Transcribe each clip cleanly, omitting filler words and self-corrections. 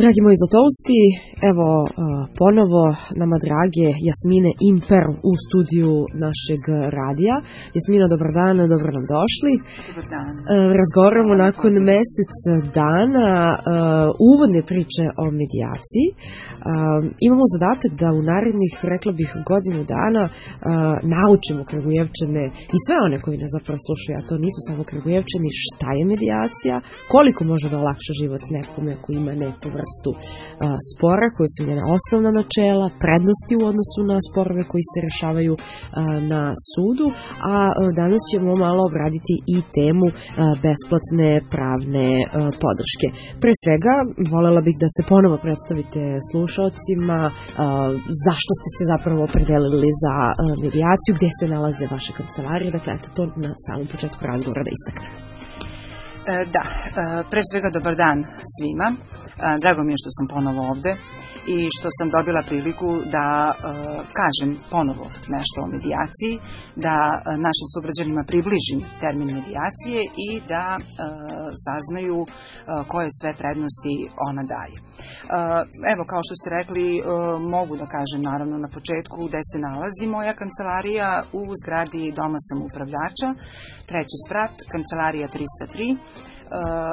Dragi moji zlatovsti, evo ponovo nama drage Jasmine Imper u studiju našeg radija. Jasmina, dobar dan, dobro nam došli. Dobar dan. Razgovaramo nakon mesec dana uvodne priče o medijaciji. Imamo zadatak da u narednih, rekla bih, godinu dana naučimo Kragujevčane i sve one koji nas zapravo slušaju, a to nisu samo Kragujevčani, šta je medijacija, koliko može da olakša život nekome ako ima neku vrstu spora, koji su njena osnovna načela, prednosti u odnosu na sporove koji se rešavaju na sudu, a danas ćemo malo obraditi i temu besplatne pravne podrške. Pre svega, volela bih da se ponovo predstavite slušaocima, zašto ste se zapravo opredelili za medijaciju, gde se nalaze vaše kancelarije, dakle, eto to na samom početku razgovora da istaknemo. Da, pre svega dobar dan svima. Drago mi je što sam ponovo ovde i što sam dobila priliku da kažem ponovo nešto o medijaciji, da našim sugrađanima približim termin medijacije i da saznaju koje sve prednosti ona daje. Evo, kao što ste rekli, mogu da kažem naravno na početku gde se nalazi moja kancelarija u zgradi Doma samoupravljača, 3. sprat, kancelarija 303.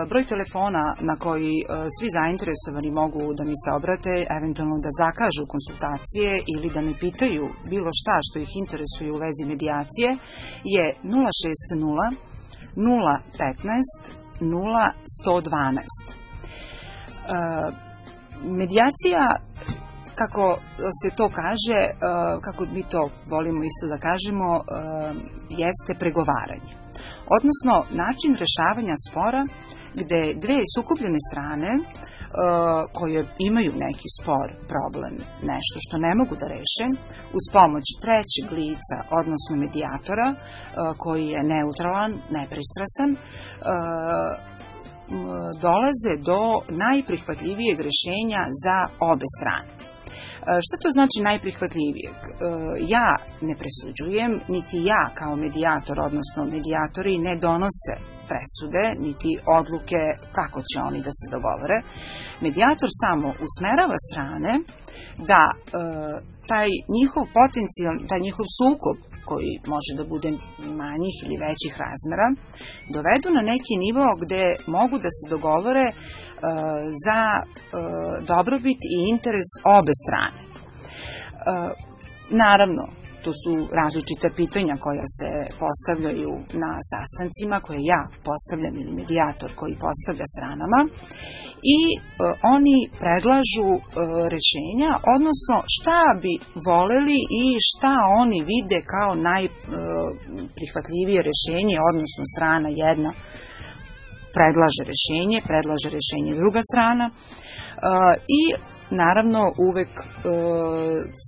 Broj telefona na koji svi zainteresovani mogu da mi se obrate, eventualno da zakažu konsultacije ili da me pitaju bilo šta što ih interesuje u vezi medijacije je 060 015 0112. Medijacija, kako se to kaže, kako mi to volimo isto da kažemo, jeste pregovaranje. Odnosno, način rešavanja spora gde dve sukobljene strane koje imaju neki spor, problem, nešto što ne mogu da reše, uz pomoć trećeg lica, odnosno medijatora, koji je neutralan, nepristrasan, dolaze do najprihvatljivijeg rešenja za obe strane. Šta to znači najprihvatljivijeg? Ja ne presuđujem, niti ja kao medijator, odnosno medijatori ne donose presude, niti odluke kako će oni da se dogovore. Medijator samo usmerava strane da taj njihov potencijal, taj njihov sukob, koji može da bude manjih ili većih razmera, dovedu na neki nivo gde mogu da se dogovore za dobrobit i interes obe strane. Naravno, to su različita pitanja koja se postavljaju na sastancima, koje ja postavljam ili medijator koji postavlja stranama i oni predlažu rešenja, odnosno šta bi voleli i šta oni vide kao najprihvatljivije rešenje, odnosno strana jedna predlaže rešenje druga strana i naravno uvek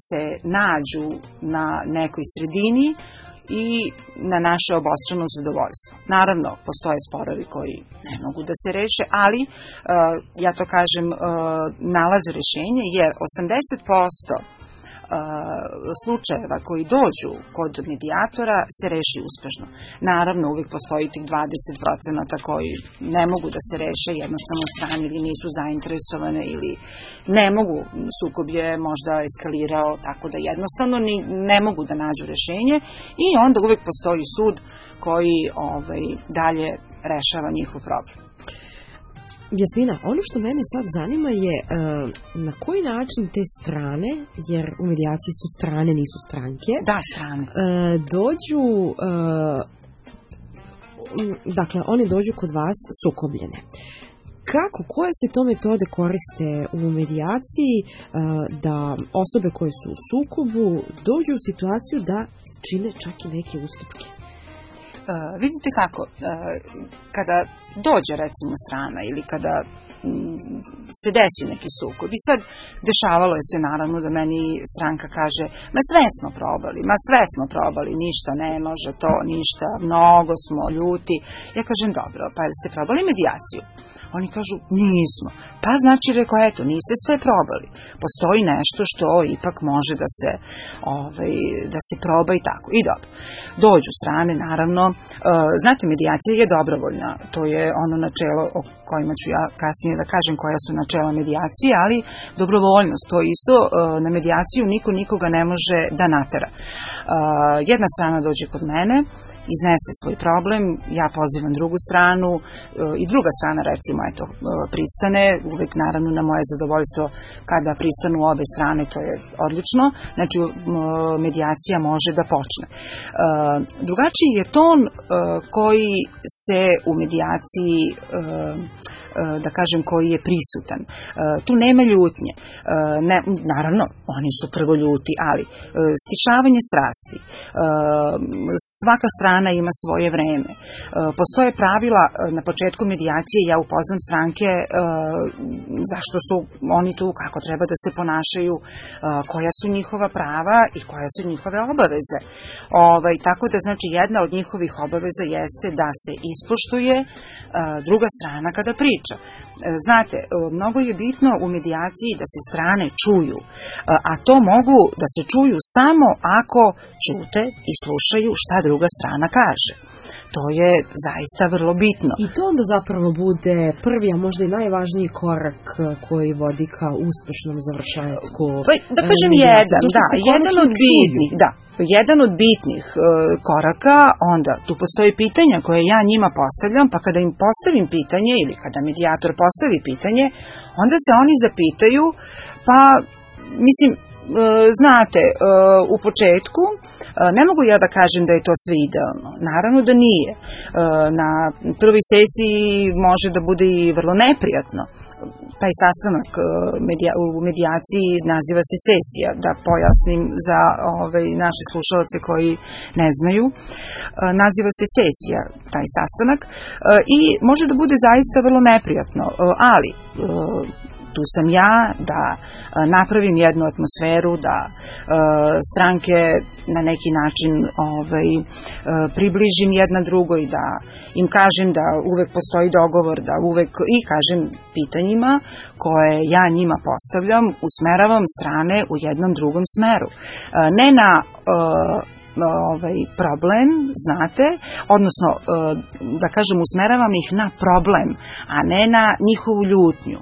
se nađu na nekoj sredini i na naše obostrano zadovoljstvo. Naravno, postoje sporovi koji ne mogu da se reše, ali ja to kažem nalaze rešenje jer 80% slučajeva koji dođu kod medijatora se reši uspešno. Naravno, uvijek postoji tih 20% koji ne mogu da se reše, jednostavno strane ili nisu zainteresovane ili ne mogu, sukob je možda eskalirao, tako da jednostavno ne mogu da nađu rešenje i onda uvijek postoji sud koji dalje rešava njihov problem. Jasmina, ono što mene sad zanima je na koji način te strane, jer u medijaciji su strane, nisu stranke. Da, strane. Dođu, dakle, oni dođu kod vas sukobljene. Koje se to metode koriste u medijaciji da osobe koje su u sukobu dođu u situaciju da čine čak i neke ustupke? Vidite kako, kada dođe recimo strana ili kada se desi neki sukob i sad dešavalo je se naravno da meni stranka kaže sve smo probali, ništa ne može to, ništa, mnogo smo ljuti. Ja kažem dobro, pa ste probali medijaciju? Oni kažu nismo. Pa znači rekao, eto, niste sve probali. Postoji nešto što ipak može da se proba i tako. I dobro. Dođu strane, naravno. Znate, medijacija je dobrovoljna. To je ono načelo o kojima ću ja kasnije da kažem koja su načela medijacije, ali dobrovoljnost, to isto, na medijaciju niko nikoga ne može da natera. Jedna strana dođe kod mene, iznese svoj problem, ja pozivam drugu stranu i druga strana recimo pristane, uvek naravno na moje zadovoljstvo kada pristanu obe strane, to je odlično, znači medijacija može da počne. Drugačiji je ton koji se u medijaciji da kažem, koji je prisutan. Tu nema ljutnje. Naravno, oni su prvo ljuti, ali stišavanje strasti. Svaka strana ima svoje vreme. Postoje pravila na početku medijacije, ja upoznam stranke zašto su oni tu, kako treba da se ponašaju, koja su njihova prava i koja su njihove obaveze. Tako da, znači, jedna od njihovih obaveza jeste da se ispoštuje druga strana kada priča. Znate, mnogo je bitno u medijaciji da se strane čuju, a to mogu da se čuju samo ako ćute i slušaju šta druga strana kaže. To je zaista vrlo bitno. I to onda zapravo bude prvi, a možda i najvažniji korak koji vodi ka uspešnom završetku. Da kažem jedan od bitnih koraka, onda tu postoji pitanja koje ja njima postavljam, pa kada im postavim pitanje ili kada medijator postavi pitanje, onda se oni zapitaju, pa mislim, znate, u početku ne mogu ja da kažem da je to sve idealno. Naravno da nije. Na prvoj sesiji može da bude i vrlo neprijatno. Taj sastanak u medijaciji naziva se sesija, da pojasnim za naše slušalce koji ne znaju. Naziva se sesija, taj sastanak, i može da bude zaista vrlo neprijatno, ali tu sam ja da napravim jednu atmosferu, da stranke na neki način približim jedna drugoj, da im kažem da uvek postoji dogovor, da uvek i kažem pitanjima koje ja njima postavljam, usmeravam strane u jednom drugom smeru. Ne na problem, znate, odnosno, da kažem, usmeravam ih na problem, a ne na njihovu ljutnju,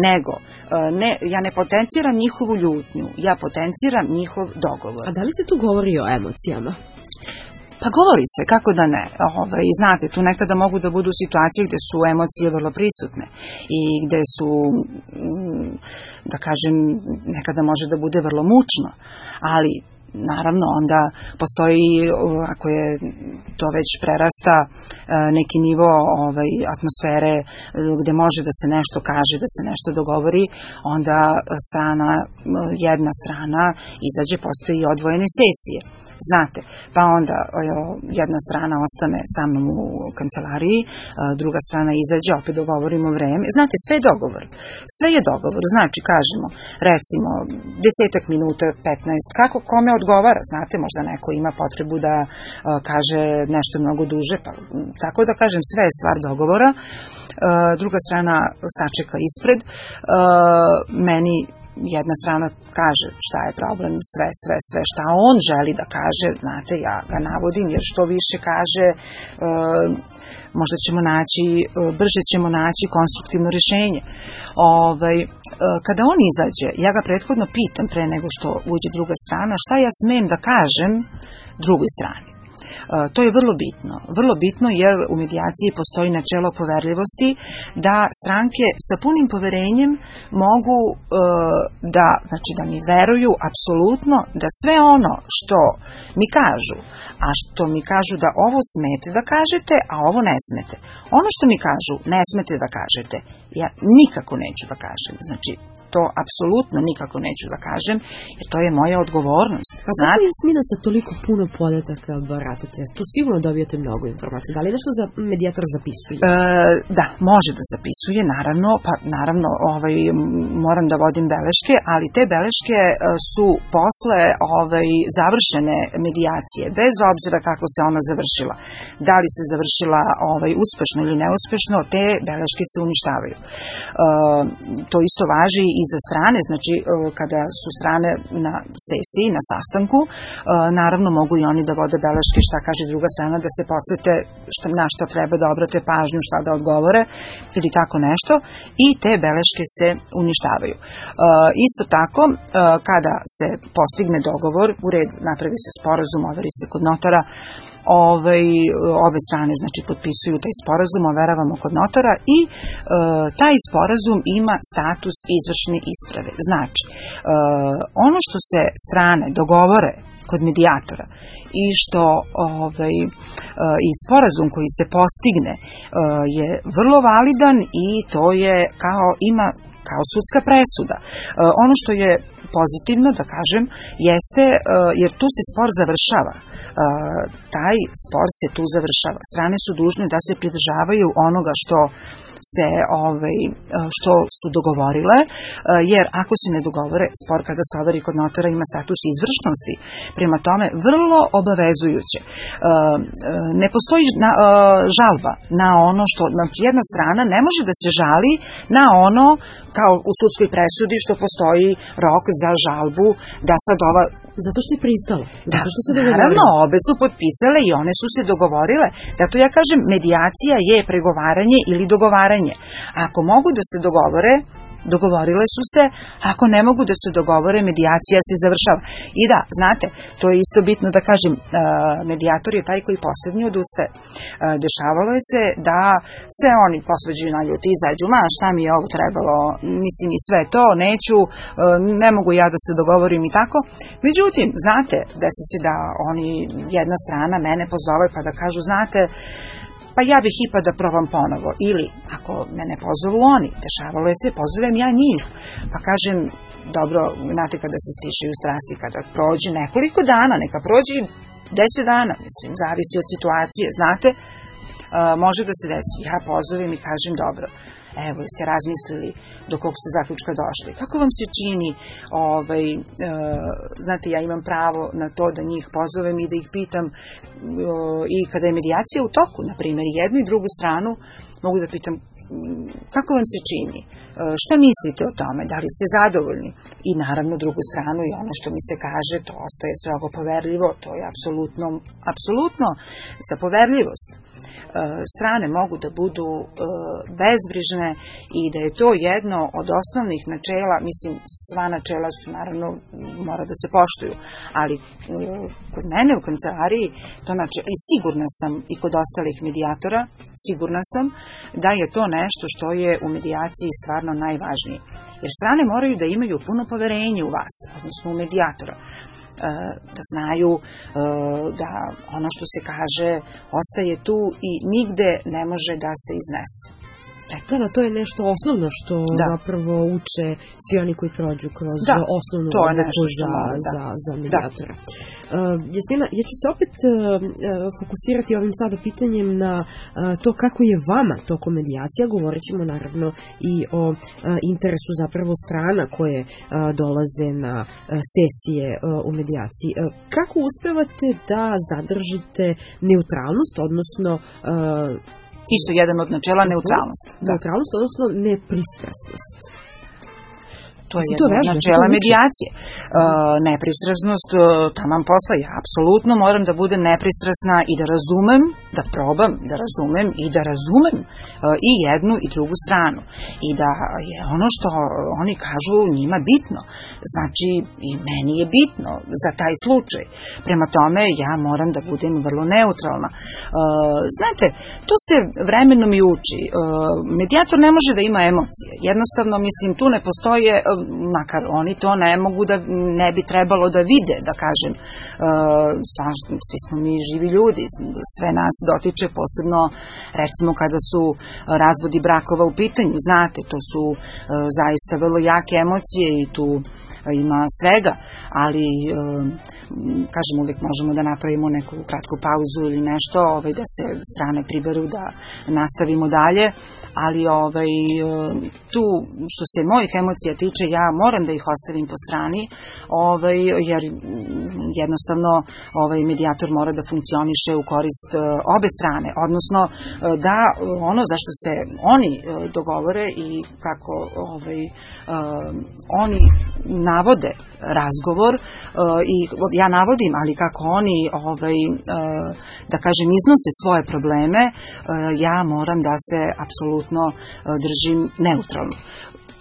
nego ja ne potenciram njihovu ljutnju, ja potenciram njihov dogovor. A da li se tu govori o emocijama? Pa govori se, kako da ne. Znate, tu nekada mogu da budu situacije gde su emocije vrlo prisutne i gde su, da kažem, nekada može da bude vrlo mučno, ali naravno onda postoji, ako je to već prerasta neki nivo atmosfere gde može da se nešto kaže, da se nešto dogovori, onda jedna strana izađe, postoji i odvojene sesije. Znate, pa onda jedna strana ostane sa mnom u kancelariji, druga strana izađe, opet dogovorimo vreme. Znate, sve je dogovor. Sve je dogovor. Znači, kažemo, recimo, 10 minuta, 15, kako kome odgovara. Znate, možda neko ima potrebu da kaže nešto mnogo duže, pa tako da kažem, sve je stvar dogovora. Druga strana sačeka ispred. Meni jedna strana kaže šta je problem, sve šta on želi da kaže, znate, ja ga navodim, jer što više kaže, možda ćemo naći, brže ćemo naći konstruktivno rješenje. Kada on izađe, ja ga prethodno pitam pre nego što uđe druga strana, šta ja smem da kažem drugoj strani. To je vrlo bitno jer u medijaciji postoji načelo poverljivosti da stranke sa punim poverenjem mogu da mi veruju apsolutno da sve ono što mi kažu, a što mi kažu da ovo smete da kažete, a ovo ne smete. Ono što mi kažu ne smete da kažete, ja nikako neću da kažem. Znači, to apsolutno nikako neću da kažem, jer to je moja odgovornost. Pa kako je Jasmina sa toliko puno podataka baratate? Tu sigurno dobijate mnogo informacija. Da li nešto za medijator zapisuje? Da, može da zapisuje, naravno. Pa naravno, moram da vodim beleške, ali te beleške su posle završene medijacije, bez obzira kako se ona završila. Da li se završila uspešno ili neuspešno, te beleške se uništavaju. To isto važi i i za strane, znači kada su strane na sesiji, na sastanku, naravno mogu i oni da vode beleške šta kaže druga strana, da se podsete na šta treba da obrate pažnju, šta da odgovore ili tako nešto, i te beleške se uništavaju. Isto tako, kada se postigne dogovor, u redu, napravi se sporazum, overi se kod notara, ove strane znači potpisuju taj sporazum, overavamo kod notara i taj sporazum ima status izvršne isprave. Znači, ono što se strane dogovore kod medijatora i što i sporazum koji se postigne je vrlo validan i to je kao sudska presuda. Ono što je pozitivno, da kažem, jeste, jer tu se spor završava. Taj spor se tu završava. Strane su dužne da se pridržavaju onoga što su dogovorile, jer ako se ne dogovore, spor kada se overi kod notara ima status izvršnosti, prema tome vrlo obavezujuće. Ne postoji žalba na ono što, znači jedna strana ne može da se žali na ono, kao u sudskoj presudi, što postoji rok za žalbu, da sad ova... Zato što je pristala. Zato što se dogovorile. Naravno, obe su potpisale i one su se dogovorile. Zato ja kažem, medijacija je pregovaranje ili dogovaranje. Ako mogu da se dogovorile su se, ako ne mogu da se dogovore, medijacija se završava. I da, znate, to je isto bitno da kažem, medijator je taj koji poslednji odustaje. Dešavalo je se da se oni posvađaju na ljuti, izađu, šta mi je ovo trebalo, mislim i sve to, neću, ne mogu ja da se dogovorim i tako. Međutim, znate, desi se da oni, jedna strana mene pozove pa da kažu, znate, pa ja bih ipak da probam ponovo. Ili, ako me ne pozovu oni, dešavalo je se, pozovem ja njih. Pa kažem, dobro, znate, kada se stišaju strasti, kada prođe nekoliko dana, neka prođe 10 dana, mislim, zavisi od situacije, znate, može da se desi. Ja pozovem i kažem, dobro, evo, jeste razmislili do kog ste zaključka došli. Kako vam se čini, znate, ja imam pravo na to da njih pozovem i da ih pitam, i kada je medijacija u toku, na primjer, jednu i drugu stranu, mogu da pitam kako vam se čini, šta mislite o tome, da li ste zadovoljni, i naravno drugu stranu i ono što mi se kaže, to ostaje strogo poverljivo, to je apsolutno za poverljivost. Strane mogu da budu bezbrižne i da je to jedno od osnovnih načela, mislim, sva načela su naravno mora da se poštuju, ali kod mene u kancelariji to načelo, i sigurna sam i kod ostalih medijatora, sigurna sam da je to nešto što je u medijaciji stvarno najvažnije. Jer strane moraju da imaju puno poverenje u vas, odnosno u medijatora, da znaju da ono što se kaže ostaje tu i nigde ne može da se iznese. Da, to je nešto osnovno što zapravo uče svi oni koji prođu kroz osnovnu obuku za medijatora. Jasmina, ja ću se opet fokusirati ovim sada pitanjem na to kako je vama tokom medijacija. Govorit ćemo naravno i o interesu zapravo strana koje dolaze na sesije u medijaciji. Kako uspevate da zadržite neutralnost, odnosno isto jedan od načela neutralnost. Neutralnost, odnosno nepristrasnost. To je jedno od načela medijacije. Nepristrasnost, taman posla, ja apsolutno moram da budem nepristrasna i da razumem, da probam da razumem i da razumem i jednu i drugu stranu. I da je ono što oni kažu njima bitno. Znači, i meni je bitno za taj slučaj. Prema tome, ja moram da budem vrlo neutralna. Znate, to se vremenom i uči. Medijator ne može da ima emocije. Jednostavno, mislim, tu ne postoje, makar oni to ne bi trebalo da vide, da kažem. Svi smo mi živi ljudi, sve nas dotiče, posebno, recimo, kada su razvodi brakova u pitanju. Znate, to su zaista vrlo jake emocije i tu ima svega, ali kažem, uvijek možemo da napravimo neku kratku pauzu ili nešto, da se strane priberu, da nastavimo dalje, ali tu što se mojih emocija tiče, ja moram da ih ostavim po strani, jer jednostavno medijator mora da funkcioniše u korist obe strane, odnosno da ono zašto se oni dogovore i kako oni navode razgovor i ja navodim, ali kako oni da kažem iznose svoje probleme, ja moram da se apsolutno držim neutralno.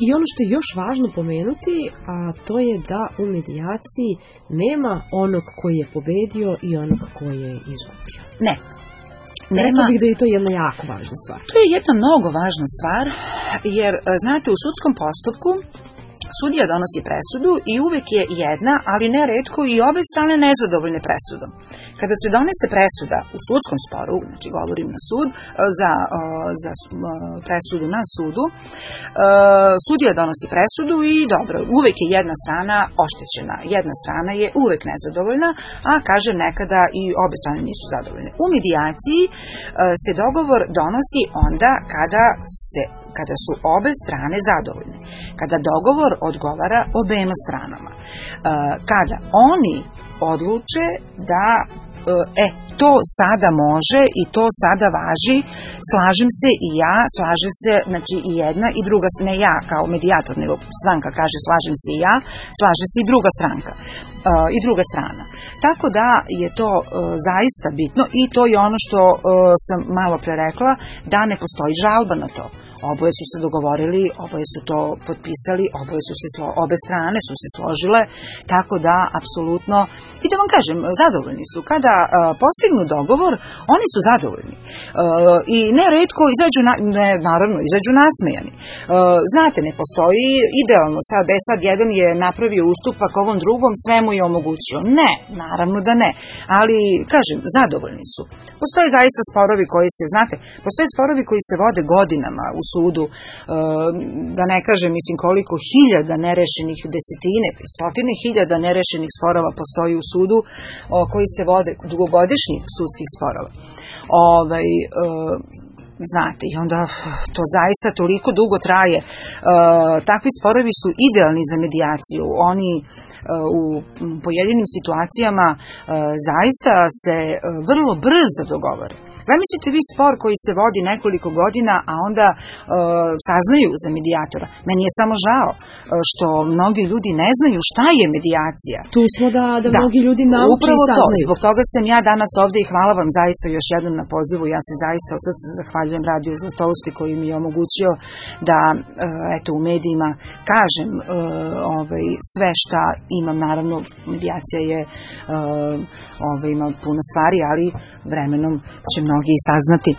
I ono što je još važno pomenuti, a to je da u medijaciji nema onog koji je pobedio i onog koji je izgubio. Ne. Rekla bih da je to jedna jako važna stvar. To je jedna mnogo važna stvar, jer znate, u sudskom postupku sudija donosi presudu i uvek je jedna, ali neretko i obe strane nezadovoljne presudom. Kada se donese presuda u sudskom sporu, znači govorim na sud, za presudu na sudu, sudija donosi presudu i dobro, uvek je jedna strana oštećena, jedna strana je uvek nezadovoljna, a kažem nekada i obe strane nisu zadovoljne. U medijaciji se dogovor donosi onda kada su obe strane zadovoljne, kada dogovor odgovara obema stranama, kada oni odluče da to sada može i to sada važi, slažem se i ja, slaže se znači i jedna i druga, ne ja kao medijator, nego stranka kaže slažem se i ja, slaže se i druga stranka i druga strana. Tako da je to zaista bitno i to je ono što sam malo pre rekla, da ne postoji žalba na to. Oboje su se dogovorili, oboje su to potpisali, obe strane su se složile, tako da apsolutno, i da vam kažem, zadovoljni su. Kada postignu dogovor, oni su zadovoljni. I neretko izađu nasmejani. Znate, ne postoji idealno, sad jedan je napravio ustupak ovom drugom, sve mu je omogućio. Ne, naravno da ne, ali kažem, zadovoljni su. Postoje zaista sporovi koji se vode godinama u sudu, da ne kažem, koliko hiljada nerešenih, desetine, stotine hiljada nerešenih sporova postoji u sudu koji se vode, dugogodišnjih sudskih sporova. Znate, i onda to zaista toliko dugo traje. Takvi sporovi su idealni za medijaciju. Oni u pojedinim situacijama zaista se vrlo brzo dogovore. Zamislite vi spor koji se vodi nekoliko godina, a onda saznaju za medijatora. Meni je samo žao što mnogi ljudi ne znaju šta je medijacija. Tu smo da mnogi ljudi nauče i saznaju. Zbog toga sam ja danas ovde i hvala vam zaista još jednom na pozivu. Ja se zaista od srca zahvaljujem Radio Zlatousti koji mi je omogućio da u medijima kažem sve šta imam. Naravno, medijacija je ima puno stvari, ali vremenom će mnogi saznati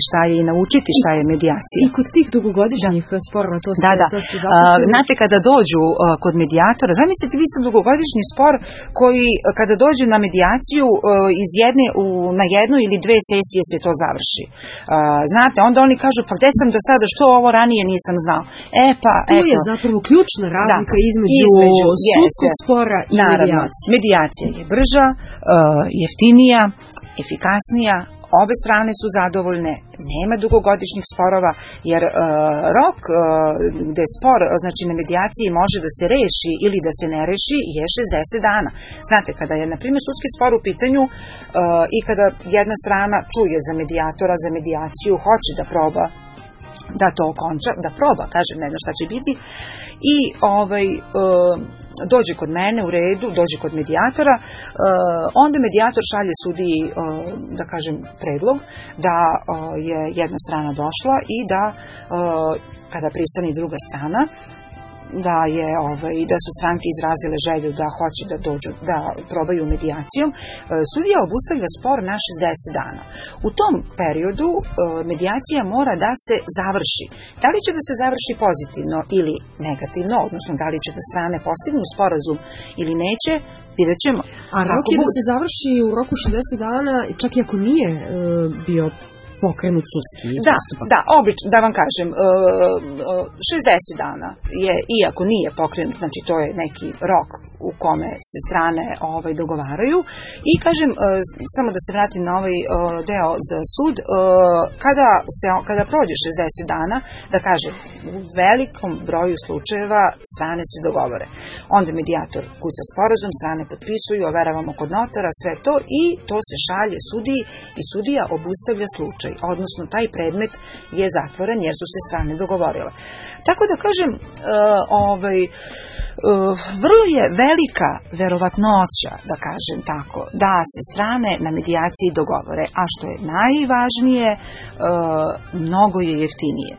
šta je i naučiti šta je medijacija. I kod tih dugogodišnjih sporova to ste znate, kada dođu kod medijatora, zamislite vi sam dugogodišnji spor koji kada dođu na medijaciju na jednoj ili dve sesije se to završi. Znate, onda oni kažu pa gde sam do sada, što ovo ranije nisam znao. Tu je zapravo ključna razlika između sudskog spora i medijacije. Medijacija je brža, jeftinija, efikasnija, obe strane su zadovoljne, nema dugogodišnjih sporova, jer rok gde spor, znači na medijaciji može da se reši ili da se ne reši je 60 dana. Znate, kada je, na primjer, sudski spor u pitanju i kada jedna strana čuje za medijatora, za medijaciju, hoće da proba da to okonča, da proba, kažem, ne zna šta će biti, i dođe kod mene u redu, dođe kod medijatora, onda medijator šalje sudiji, da kažem, predlog da je jedna strana došla i da kada pristane druga strana, da su stranke izrazile želju da hoće da dođu, da probaju medijacijom, sudija obustavlja spor na 60 dana. U tom periodu medijacija mora da se završi. Da li će da se završi pozitivno ili negativno, odnosno da li će da strane postignu sporazum ili neće, vidjet ćemo. A rok je da se završi u roku 60 dana, čak i ako nije bio pokrenut sudski postupak. Da, obično, da vam kažem, 60 dana je, iako nije pokrenut, znači to je neki rok u kome se strane dogovaraju. I kažem, samo da se vratim na ovaj deo za sud, kada prođe 60 dana, da kažem, u velikom broju slučajeva strane se dogovore. Onda medijator kuca sporazum, strane potpisuju, overavamo kod notara, sve to i to se šalje sudiji i sudija obustavlja slučaj, odnosno taj predmet je zatvoren jer su se strane dogovorile. Tako da kažem, vrlo je velika verovatnoća, da kažem tako, da se strane na medijaciji dogovore, a što je najvažnije, mnogo je jeftinije.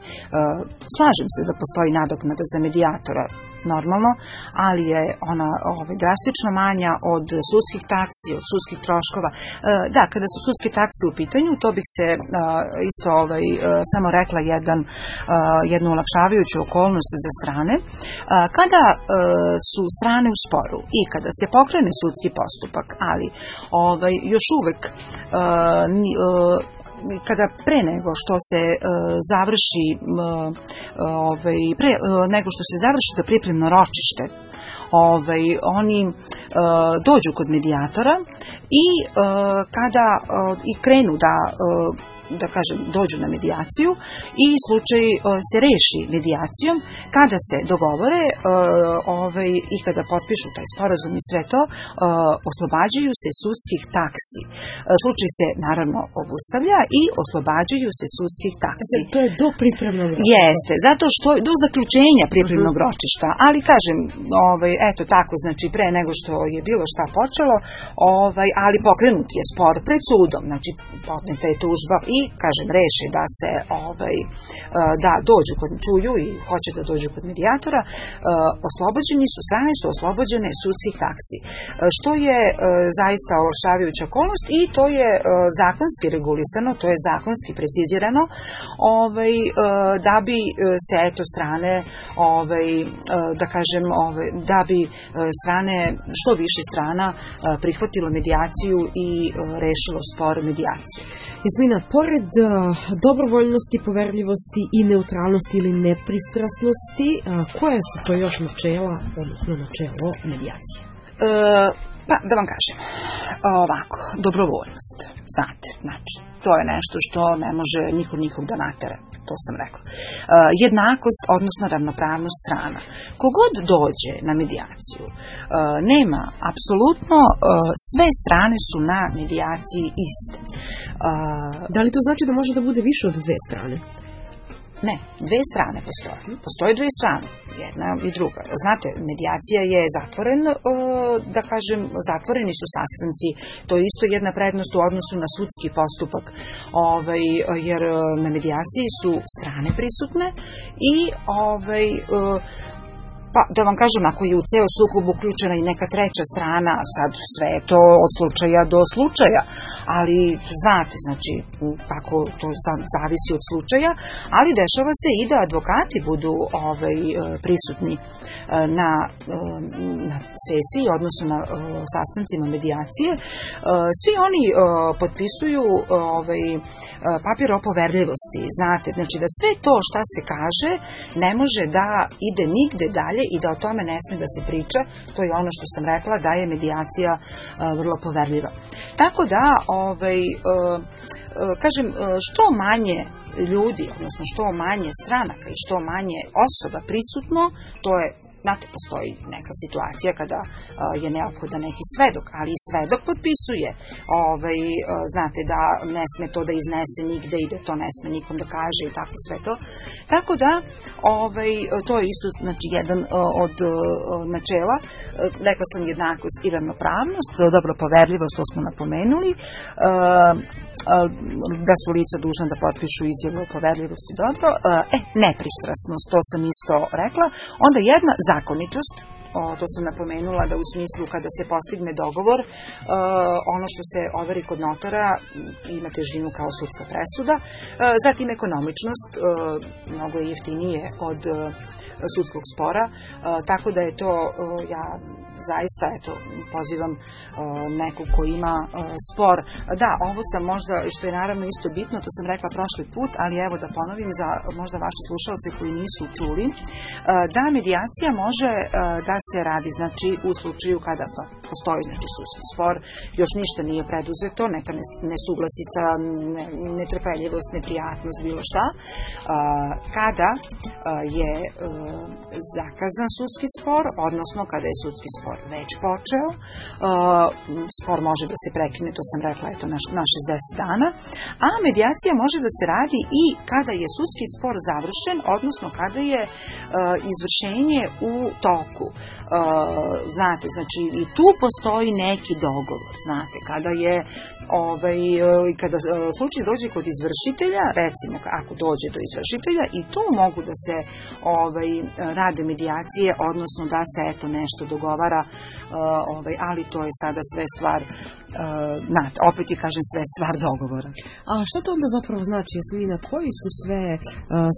Slažem se da postoji nadoknada za medijatora, normalno, ali je ona drastično manja od sudskih taksi, od sudskih troškova. Da, kada su sudske takse u pitanju, to bih se isto samo rekla jednu olakšavajuću okolnost za strane. Kada su strane u sporu i kada se pokrene sudski postupak, ali još uvek kada pre nego što se završi nego što se završi to pripremno ročište, oni dođu kod medijatora i kada i krenu da kažem, dođu na medijaciju i slučaj se reši medijacijom, kada se dogovore i kada potpišu taj sporazum i sve to, oslobađaju se sudskih taksi. Slučaj se naravno obustavlja i oslobađaju se sudskih taksi. To je do pripremnog ročišta. Jeste, zato što do zaključenja pripremnog ročišta, ali kažem, eto tako, znači pre nego što je bilo šta počelo, ali pokrenut je spor pred sudom, znači podneta je tužba i kažem, reši da se da dođu kod čuju i hoće da dođu kod medijatora, strane su oslobođene sudskih taksi, što je zaista olakšavajuća okolnost i to je zakonski regulisano, to je zakonski precizirano, da bi se eto strane da kažem, da bi strane, što više strana prihvatilo medijaciju i rešilo spor medijaciju. Jasmina, pored dobrovoljnosti, poverljivosti i neutralnosti ili nepristrasnosti, koje su to još načela, odnosno načelo medijacije? Pa, da vam kažem, ovako, dobrovoljnost, znate, znači, to je nešto što ne može niko nikog da natera, to sam rekla. Jednakost, odnosno ravnopravnost strana. Kogod dođe na medijaciju, nema, apsolutno, sve strane su na medijaciji iste. Da li to znači da može da bude više od dve strane? Ne, dve strane postoje. Postoje dve strane, jedna i druga. Znate, medijacija je da kažem, zatvoreni su sastanci. To je isto jedna prednost u odnosu na sudski postupak, jer na medijaciji su strane prisutne i pa, da vam kažem, ako je u ceo sukob uključena i neka treća strana, sad sve je to od slučaja do slučaja, ali znate, znači, tako to sad zavisi od slučaja, ali dešava se i da advokati budu prisutni na sesiji, odnosno na sastancima medijacije. Svi oni potpisuju papir o poverljivosti, znate, znači da sve to šta se kaže ne može da ide nigde dalje i da o tome ne sme da se priča. To je ono što sam rekla, da je medijacija vrlo poverljiva. Tako da, kažem, što manje ljudi, odnosno što manje stranaka i što manje osoba prisutno, to je, znate, postoji neka situacija kada je neophodan neki svedok, ali i svedok potpisuje, znate, da ne sme to da iznese nigde i da to ne sme nikom da kaže i tako sve to. Tako da, to je isto, znači, jedan od načela. Rekla sam jednakost i ravnopravnost, dobro, poverljivost, to smo napomenuli, da su lica dužna da potpišu izjavu o poverljivosti, dobro, nepristrasnost, to sam isto rekla, onda jedna zakonitost, to sam napomenula, da u smislu kada se postigne dogovor, ono što se overi kod notara ima težinu kao sudska presuda. Zatim ekonomičnost, mnogo je jeftinije od sudskog spora, tako da je to, ja zaista pozivam nekog ko ima spor. Da, ovo sam možda, što je naravno isto bitno, to sam rekla prošli put, ali evo da ponovim za možda vaše slušalce koji nisu čuli, da medijacija može da se radi, znači u slučaju kada postoji sudski spor, još ništa nije preduzeto, neka nesuglasica, netrpeljivost, neprijatnost, bilo šta, kada je zakazan sudski spor, odnosno kada je sudski spor već počeo, spor može da se prekine, to sam rekla, na 60 dana, a medijacija može da se radi i kada je sudski spor završen, odnosno kada je izvršenje u toku. Znate, znači i tu postoji neki dogovor, znate, kada je kada slučaj dođe kod izvršitelja, recimo ako dođe do izvršitelja, i tu mogu da se rade medijacije, odnosno da se nešto dogovara, ali to je sada sve stvar, opet ti kažem, sve stvar dogovora. A šta to onda zapravo znači, Jasmina, koji su sve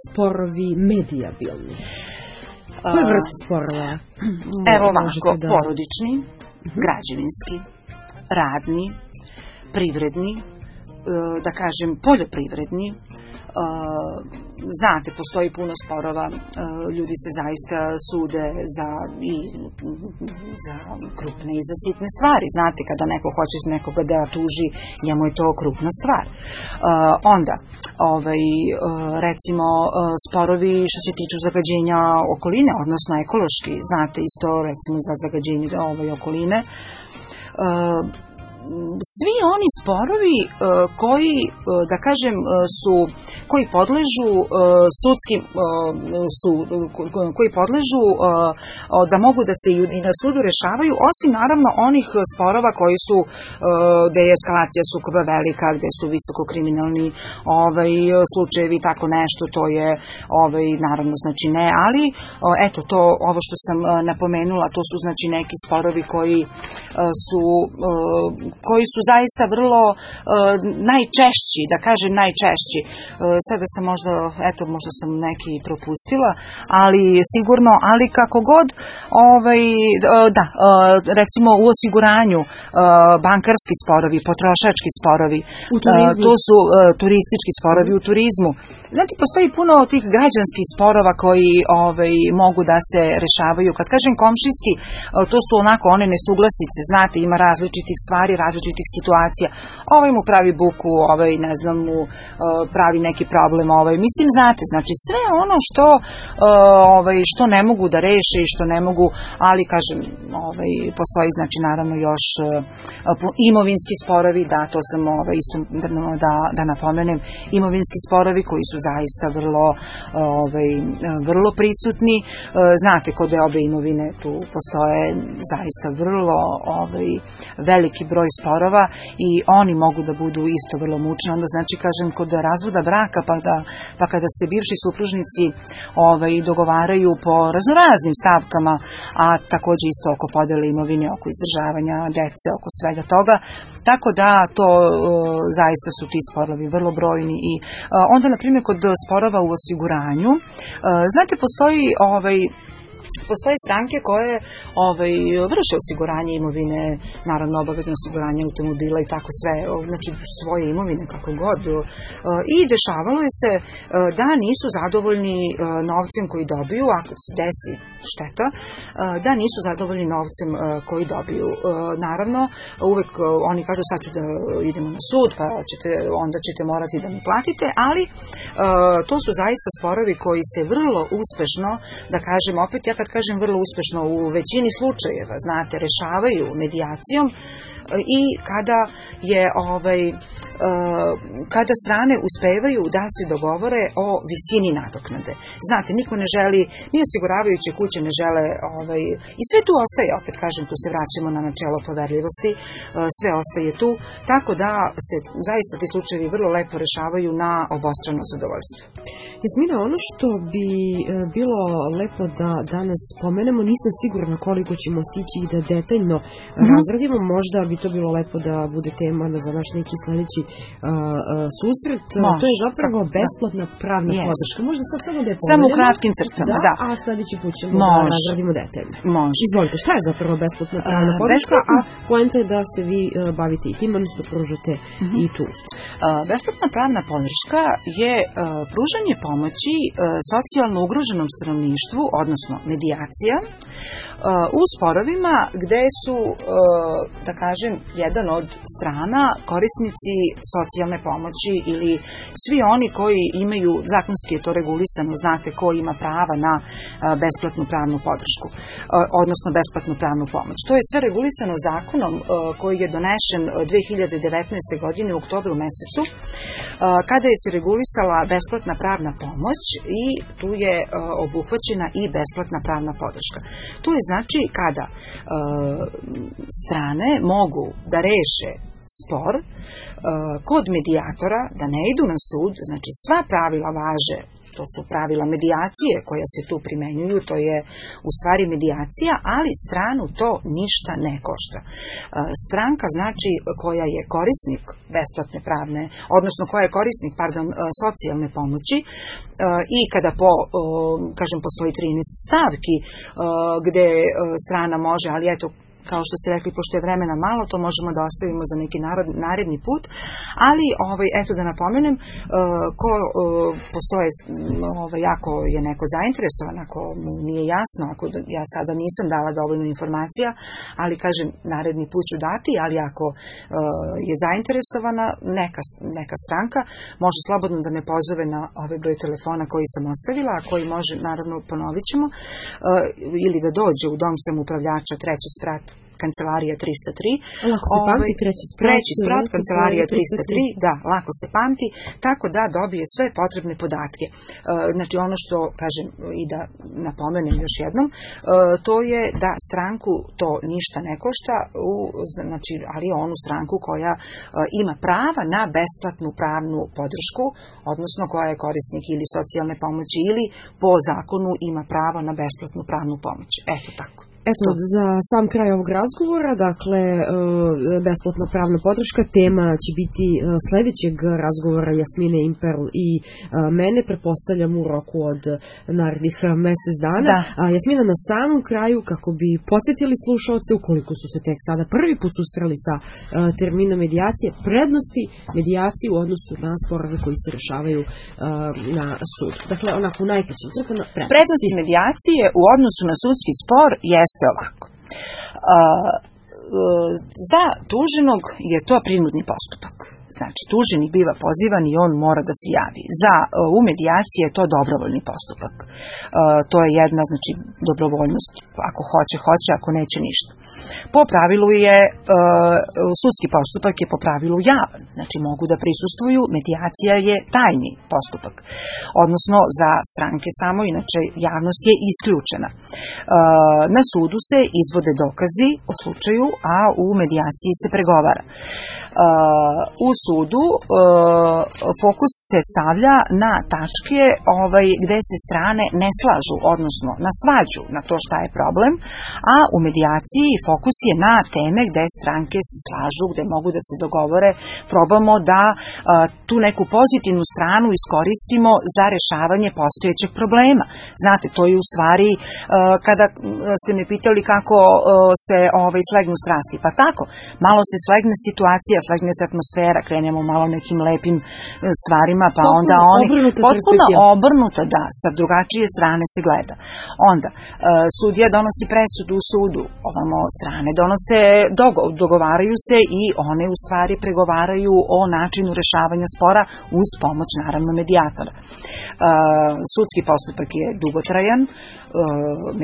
sporovi medijabilni? Koje vrste sporova? Evo ovako, porodični, građevinski, radni, privredni, da kažem poljoprivredni. Znate, postoji puno sporova, ljudi se zaista sude za krupne i za sitne stvari. Znate, kada neko hoće nekoga da tuži, njemu je to krupna stvar. Onda, recimo, sporovi što se tiču zagađenja okoline, odnosno ekološki, znate, isto recimo za zagađenje okoline. Svi oni sporovi koji, da kažem, koji podležu sudskim koji podležu da mogu da se i na sudu rešavaju, osim naravno onih sporova koji su gde je eskalacija sukoba velika, gde su visoko kriminalni slučajevi, tako nešto, to je naravno znači ne, ali eto to, ovo što sam napomenula, to su znači neki sporovi koji su zaista vrlo najčešći, da kažem najčešći. Sada sam možda sam neki propustila, ali sigurno, ali kako god, recimo u osiguranju, bankarski sporovi, potrošački sporovi, to su turistički sporovi u turizmu. Znači, postoji puno tih građanskih sporova koji mogu da se rešavaju. Kad kažem komšijski, to su onako one nesuglasice, znate, ima različitih stvari, različitih situacija. Mu pravi buku, ne znam, mu pravi neki problem, mislim, znate, znači sve ono što ne mogu da reše i što ne mogu, ali kažem, postoji znači naravno još imovinski sporovi, da, to sam isto da napomenem, imovinski sporovi koji su zaista vrlo prisutni. Znate, kod obe imovine tu postoje zaista vrlo veliki broj sporova i oni mogu da budu isto vrlo mučni. Onda znači, kažem, kod razvoda braka, pa kada se bivši supružnici dogovaraju po raznoraznim stavkama, a takođe isto oko podele imovine, oko izdržavanja dece, oko svega toga, tako da to zaista su ti sporovi vrlo brojni. I onda, na primjer, kod sporova u osiguranju, znate, postoje stranke koje vrše osiguranje imovine, naravno obavezno osiguranje automobila i tako sve, znači svoje imovine kako god. I dešavalo je se da nisu zadovoljni novcem koji dobiju, ako se desi šteta, da nisu zadovoljni novcem koji dobiju. Naravno, uvek oni kažu sad ću da idemo na sud, pa onda ćete morati da mi platite, ali to su zaista sporovi koji se vrlo uspešno, da kažem, opet ja kad kažem vrlo uspešno, u većini slučajeva, znate, rešavaju medijacijom i kada strane uspevaju da se dogovore o visini nadoknade. Znate, niko ne želi, ni osiguravajuće kuće ne žele, i sve tu ostaje, opet kažem, tu se vraćamo na načelo poverljivosti, sve ostaje tu, tako da se zaista ti slučajevi vrlo lepo rešavaju na obostrano zadovoljstvo. Jasmina, ono što bi bilo lepo da danas spomenemo, nisam sigurna koliko ćemo stići i da detaljno razradimo, možda bi to bilo lepo da bude tema za naš neki sledeći susret. To je zapravo besplatna pravna podrška. Možda sad samo da je pomenemo. Samo u kratkim crtama, da. A sledeći put ćemo da razradimo detaljno. Može. Izvolite, šta je zapravo besplatna pravna podrška, a poenta je da se vi bavite i tim, odnosno pružate i tu. Besplatna pravna podrška je pružanje pomoći socijalno ugroženom stanovništvu, odnosno medijacija, u sporovima gde su, da kažem, jedan od strana korisnici socijalne pomoći ili svi oni koji imaju, zakonski je to regulisano, znate ko ima prava na besplatnu pravnu podršku, odnosno besplatnu pravnu pomoć. To je sve regulisano zakonom koji je donešen 2019. godine u oktobru mesecu, kada je se regulisala besplatna pravna pomoć i tu je obuhvaćena i besplatna pravna podrška. To je znači kada strane mogu da reše spor kod medijatora, da ne idu na sud, znači sva pravila važe, to su pravila medijacije koja se tu primenjuju, to je u stvari medijacija, ali stranu to ništa ne košta. Stranka znači koja je korisnik besplatne pravne, odnosno koja je korisnik, socijalne pomoći i kada postoji 13 stavki gde strana može, ali eto, kao što ste rekli, pošto je vremena malo, to možemo da ostavimo za neki naredni put, ali eto da napomenem, postoje, ako je neko zainteresovan, ako mu nije jasno, ako ja sada nisam dala dovoljno informacija, ali kažem, naredni put ću dati, ali ako je zainteresovana neka stranka, može slobodno da me pozove na ovaj broj telefona koji sam ostavila, a koji može, naravno ponovit ćemo, ili da dođe u dom samoupravljača, 3. sprat, kancelarija 303. Lako se pamti, treći sprat, kancelarija 303, da, lako se pamti, tako da dobije sve potrebne podatke. Znači ono što, kažem, i da napomenem još jednom, to je da stranku to ništa ne košta, znači, ali onu stranku koja ima prava na besplatnu pravnu podršku, odnosno koja je korisnik ili socijalne pomoći ili po zakonu ima pravo na besplatnu pravnu pomoć. Eto tako. Eto, za sam kraj ovog razgovora, dakle, besplatna pravna podrška, tema će biti sledećeg razgovora Jasmine Imperl i mene, pretpostavljam u roku od narednih mesec dana. Jasmina, na samom kraju, kako bi podsjetili slušalce, ukoliko su se tek sada prvi put susreli sa terminom medijacije, prednosti medijacije u odnosu na sporove koji se rešavaju na sud. Dakle, onako u najkraćim crtama prednosti medijacije u odnosu na sudski spor jeste ovako. Za tuženog je to prinudni postupak. Znači, tuženi biva pozivan i on mora da se javi. U medijaciji je to dobrovoljni postupak. To je jedna, znači, dobrovoljnost. Ako hoće, ako neće, ništa. Po pravilu je, sudski postupak je po pravilu javan. Znači, mogu da prisustvuju, medijacija je tajni postupak. Odnosno, za stranke samo, inače, javnost je isključena. Na sudu se izvode dokazi o slučaju, a u medijaciji se pregovara. U sudu fokus se stavlja na tačke gde se strane ne slažu, odnosno na svađu, na to šta je problem, a u medijaciji fokus je na teme gde stranke se slažu, gde mogu da se dogovore, probamo da tu neku pozitivnu stranu iskoristimo za rešavanje postojećeg problema. Znate, to je u stvari, kada ste me pitali kako se slegnu strasti, pa tako, malo se slegne situacija, slegne se atmosfera, krenemo malo nekim lepim stvarima, pa onda oni potpuno obrnuto, da, sa drugačije strane se gleda. Onda, sudija donosi presudu u sudu, ovamo strane dogovaraju se i one u stvari pregovaraju o načinu rešavanja spora uz pomoć, naravno, medijatora. Sudski postupak je dugotrajan,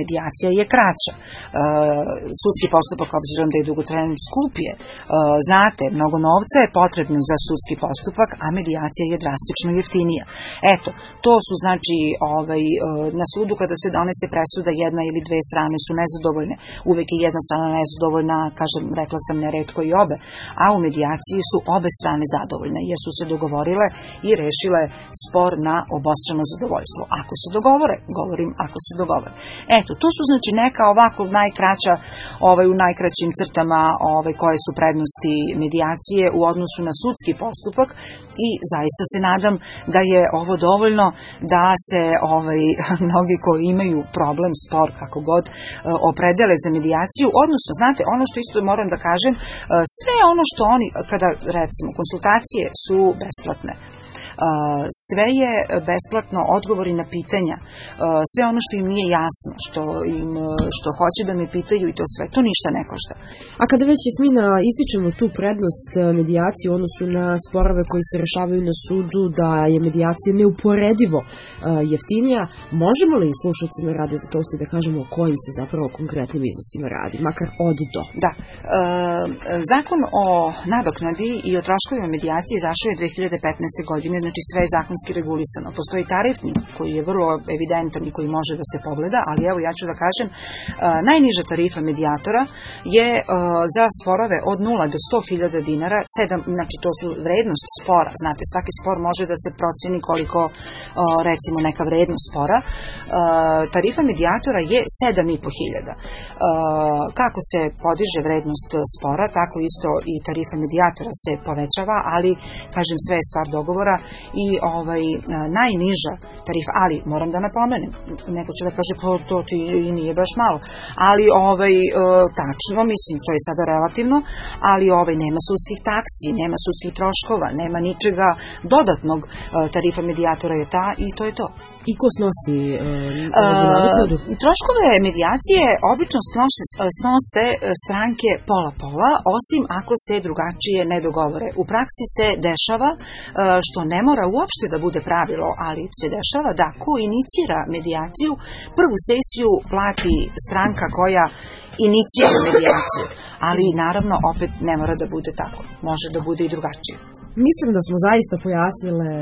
medijacija je kraća. Sudski postupak, obzirom da je dugotrajan, skup je. Znate, mnogo novca je potrebno za sudski postupak, a medijacija je drastično jeftinija. Eto, To su znači na sudu kada se donese presuda, jedna ili dve strane su nezadovoljne, uvek je jedna strana nezadovoljna, kažem, rekla sam neretko i obe, a u medijaciji su obe strane zadovoljne jer su se dogovorile i rešile spor na obostrano zadovoljstvo. Ako se dogovore, govorim ako se dogovore. Eto, to su znači neka ovako najkraća, u najkraćim crtama koje su prednosti medijacije u odnosu na sudski postupak i zaista se nadam da je ovo dovoljno da se mnogi koji imaju problem, spor, kako god, opredele za medijaciju, odnosno, znate, ono što isto moram da kažem, sve ono što oni, kada recimo konsultacije su besplatne, sve je besplatno, odgovori na pitanja, sve ono što im nije jasno, što hoće da me pitaju i to sve, to ništa ne košta. A kada već, Jasmina, ističemo tu prednost medijacije u odnosu na sporove koji se rešavaju na sudu, da je medijacija neuporedivo jeftinija, možemo li slušalcima Radio Zlatousti da kažemo o kojim se zapravo konkretnim iznosima radi, makar od do? Da. Zakon o nadoknadi i o troškovima medijacije izašao je 2015. godine, znači sve je zakonski regulisano. Postoji tarifnik koji je vrlo evidentan i koji može da se pogleda, ali evo ja ću da kažem, najniža tarifa medijatora je za sporove od 0 do 100.000 dinara, znači to su vrednost spora, znate, svaki spor može da se proceni koliko, recimo, neka vrednost spora, tarifa medijatora je 7.500. Kako se podiže vrednost spora, tako isto i tarifa medijatora se povećava, ali, kažem, sve je stvar dogovora i najniža tarifa, ali moram da napomenem, neko će da kaže, pa to ti nije baš malo, ali tačno, mislim, to je sada relativno, ali nema sudskih taksi, nema sudskih troškova, nema ničega dodatnog, tarifa medijatora je ta i to je to. I ko snosi troškove medijacije obično snose stranke pola-pola, osim ako se drugačije ne dogovore. U praksi se dešava, što ne mora uopšte da bude pravilo, ali se dešava da ko inicira medijaciju, prvu sesiju plati stranka koja inicira medijaciju. Ali naravno opet ne mora da bude tako. Može da bude i drugačije. Mislim da smo zaista pojasnile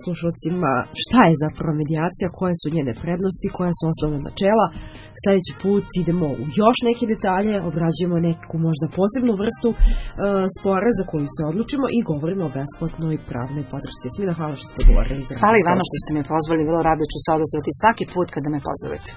slušalcima šta je zapravo medijacija, koje su njene prednosti, koja su osnovna načela. Sljedeći put idemo u još neke detalje, obrađujemo neku možda posebnu vrstu spora za koju se odlučimo i govorimo o besplatnoj pravnoj podršci. Jasmina, hvala što ste govorili. Hvala i vama što ste me pozvali, vrlo rado ću se odazvati svaki put kada me pozovete.